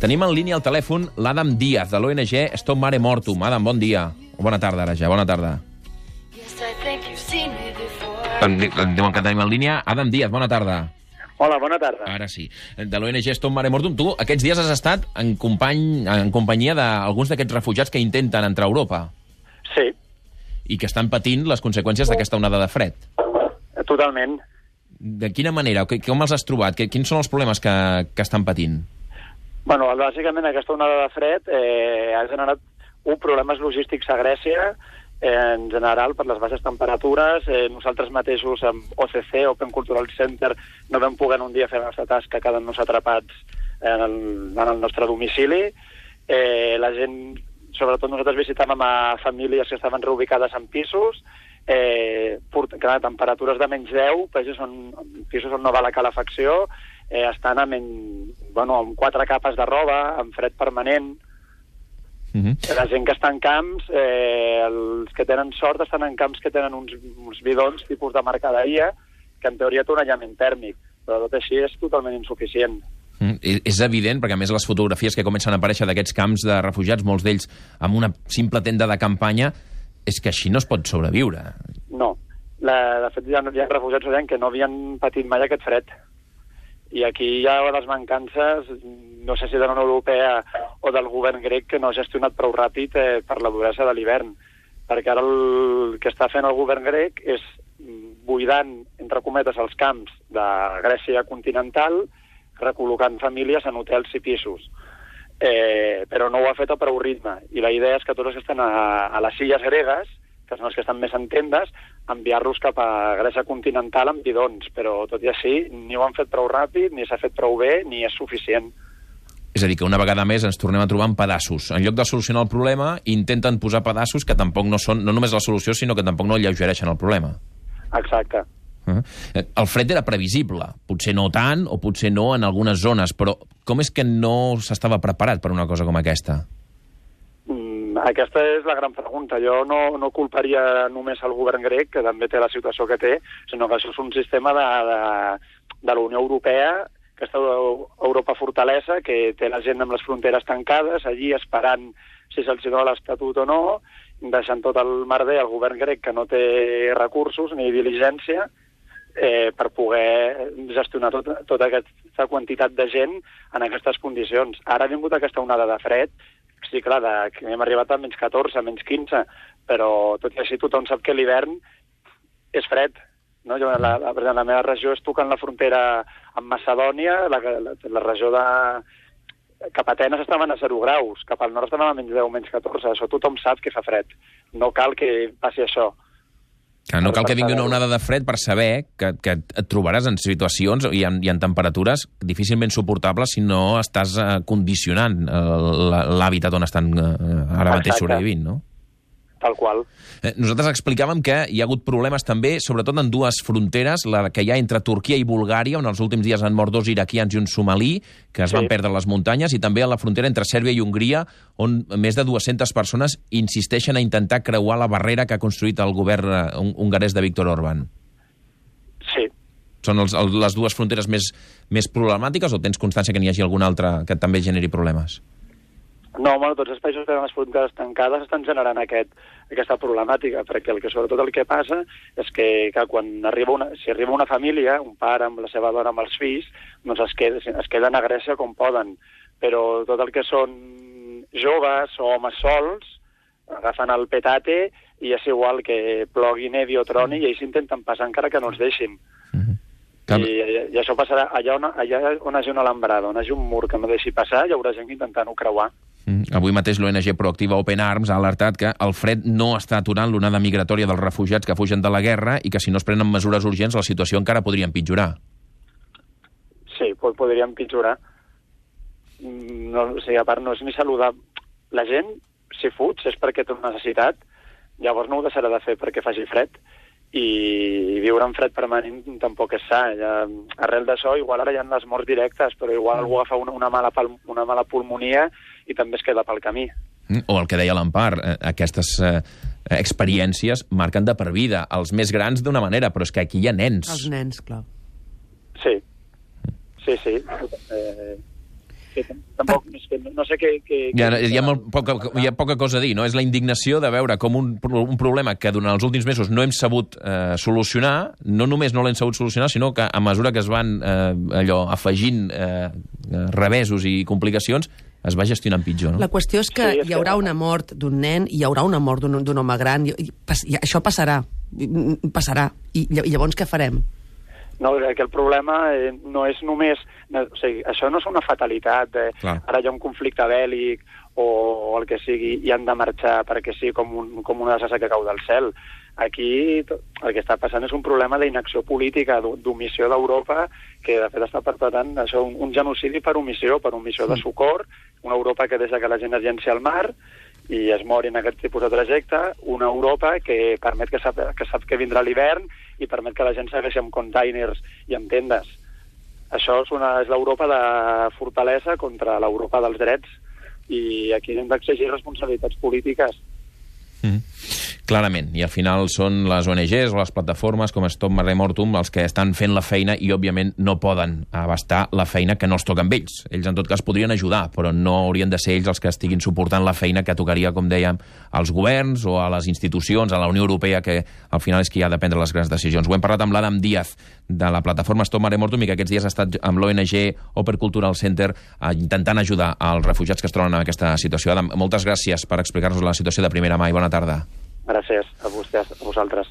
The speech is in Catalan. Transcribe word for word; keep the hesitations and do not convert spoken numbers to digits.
Tenim en línia al telèfon l'Adam Díaz, de l'O N G Stop Mare Mortum. Adam, bon dia. Bona tarda, ara ja. Bona tarda. Em diuen que tenim en línia Adam Díaz, bona tarda. Hola, bona tarda. Ara sí. De l'O N G Stop Mare Mortum. Tu aquests dies has estat en, company, en companyia d'alguns d'aquests refugiats que intenten entrar a Europa. Sí. I que estan patint les conseqüències d'aquesta onada de fred. Totalment. De quina manera? Com els has trobat? Quins són els problemes que, que estan patint? Bueno, bàsicament aquesta onada de fred eh, ha generat un problemes logístics a Grècia, eh, en general per les baixes temperatures. Eh, nosaltres mateixos amb O C C, Open Cultural Center, no vam poder un dia fer la nostra tasca quedant-nos atrapats en el, en el nostre domicili. Eh, la gent, sobretot nosaltres visitàvem a famílies que estaven reubicades en pisos, eh, clar, temperatures de menys deu, pisos on, pisos on no va la calefacció, eh, estan amb, en, bueno, amb quatre capes de roba, amb fred permanent. Uh-huh. La gent que està en camps, eh, els que tenen sort estan en camps que tenen uns, uns bidons tipus de mercaderia, que en teoria té un aïllament tèrmic, però tot així és totalment insuficient. Mm, és evident, perquè a més les fotografies que comencen a aparèixer d'aquests camps de refugiats, molts d'ells amb una simple tenda de campanya, és que així no es pot sobreviure. No. La, de fet, hi ha, hi ha refugiats que no havien patit mai aquest fred. I aquí hi ha les mancances, no sé si de la Unió Europea o del govern grec, que no ha gestionat prou ràpid eh, per la duresa de l'hivern. Perquè ara el que està fent el govern grec és buidant, entre cometes, els camps de Grècia continental, recol·locant famílies en hotels i pisos. Eh, però no ho ha fet a prou ritme. I la idea és que tots els que estan a, a les illes gregues, que són els que estan més en tendes, enviar-los cap a Grècia continental amb bidons. Però tot i així, ni ho han fet prou ràpid, ni s'ha fet prou bé, ni és suficient. És a dir, que una vegada més ens tornem a trobar en pedaços. En lloc de solucionar el problema, intenten posar pedaços que tampoc no són, no només la solució, sinó que tampoc no alleugereixen el problema. Exacte. Uh-huh. El fred era previsible, potser no tant o potser no en algunes zones, però com és que no s'estava preparat per una cosa com aquesta? Mm, aquesta és la gran pregunta. Jo no, no culparia només el govern grec, que també té la situació que té, sinó que això és un sistema de, de, de la Unió Europea, aquesta Europa fortalesa, que té la gent amb les fronteres tancades, allí esperant si se'ls dona l'estatut o no, deixant tot el merder al govern grec, que no té recursos ni diligència, Eh, per poder gestionar tot, tota aquesta quantitat de gent en aquestes condicions. Ara ha vingut aquesta onada de fred, sí, clar, de, que hem arribat a menys catorze, menys quinze, però tot i així tothom sap que l'hivern és fred. No? Jo, la, la, la meva regió és tocant la frontera amb Macedònia, la, la, la regió de... Cap a Atenes estaven a zero graus, cap al nord estaven a menys deu, menys catorze, això tothom sap que fa fred. No cal que passi això. Que no cal que vingui una onada de fred per saber que, que et trobaràs en situacions i en, i en temperatures difícilment suportables si no estàs uh, condicionant uh, l'hàbitat on estan uh, ara mateix sobrevivint, no? Tal qual. Eh, nosaltres explicàvem que hi ha hagut problemes també, sobretot en dues fronteres, la que hi ha entre Turquia i Bulgària, on els últims dies han mort dos iraquians i un somalí, que es sí. van perdre a les muntanyes, i també a la frontera entre Sèrbia i Hongria, on més de dues-centes persones insisteixen a intentar creuar la barrera que ha construït el govern hongarès de Viktor Orbán. Sí. Són els, el, les dues fronteres més, més problemàtiques, o tens constància que n'hi hagi alguna altra que també generi problemes? No, bueno, tots els països que tenen les fronteres tancades estan generant aquest, aquesta problemàtica, perquè el que sobretot el que passa és que, que quan arriba una, si arriba una família, un pare amb la seva dona amb els fills, doncs es, qued, es queden a Grècia com poden, però tot el que són joves o homes sols agafen el petate i és igual que plogui, nevi o troni i ells intenten passar encara que no els deixin. Mm-hmm. I, i això passarà allà on, allà on hi hagi una alambrada, on hi hagi un mur que no deixi passar, hi haurà gent intentant-ho creuar. Mm. Avui mateix l'O N G Proactiva Open Arms ha alertat que el fred no està aturant l'onada migratòria dels refugiats que fugen de la guerra i que si no es prenen mesures urgents la situació encara podria empitjorar. Sí, podria empitjorar. No, o sigui, a part no és ni saludable. La gent, si fuig, és perquè té una necessitat, llavors no ho deixarà de fer perquè faci fred. I viure en fred permanent tampoc és sa. Ja, arrel d'això, igual ara hi ha les morts directes, però igual algú agafa una, una, mala, una mala pulmonia i també es queda pel camí. O el que deia l'Empar, aquestes eh, experiències marquen de per vida. Els més grans d'una manera, però és que aquí hi ha nens. Els nens, clar. Sí, sí, sí. Eh... que tampoc, és que no sé què... què hi, ha, hi, ha molt poca, hi ha poca cosa a dir, no? És la indignació de veure com un, un problema que durant els últims mesos no hem sabut eh, solucionar, no només no l'hem sabut solucionar, sinó que a mesura que es van eh, allò afegint eh, revesos i complicacions, es va gestionant pitjor, no? La qüestió és que sí, és hi haurà que... una mort d'un nen, hi haurà una mort d'un home gran, i, i, i això passarà, passarà. I, I llavors què farem? No, que el problema eh, no és només... No, o sigui, això no és una fatalitat. Eh, ara hi ha un conflicte bèl·lic o, o el que sigui i han de marxar perquè sí, com, un, com una desassa que cau del cel. Aquí el que està passant és un problema d'inacció política, d'omissió d'Europa, que de fet està perpetrant això, un, un genocidi per omissió, per omissió de socor, una Europa que deixa que la gent es llenci al mar i es mori en aquest tipus de trajecte, una Europa que permet que sap que, sap que vindrà l'hivern i permet que la gent segueixi amb containers i amb tendes. Això és, una, és l'Europa de fortalesa contra l'Europa dels drets i aquí hem d'exigir responsabilitats polítiques. Mm. Clarament, i al final són les O N Ges o les plataformes com Stop Mare Mortum els que estan fent la feina i òbviament no poden abastar la feina que no es toca amb ells. Ells en tot cas podrien ajudar, però no haurien de ser ells els que estiguin suportant la feina que tocaria, com dèiem, als governs o a les institucions, a la Unió Europea, que al final és qui ha de prendre les grans decisions. Ho hem parlat amb l'Adam Díaz de la plataforma Stop Mare Mortum i que aquests dies ha estat amb l'O N G Open Cultural Center intentant ajudar als refugiats que es troben en aquesta situació. Adam, moltes gràcies per explicar-nos la situació de primera mà i bona tarda. Gràcies a vostès, a vosaltres.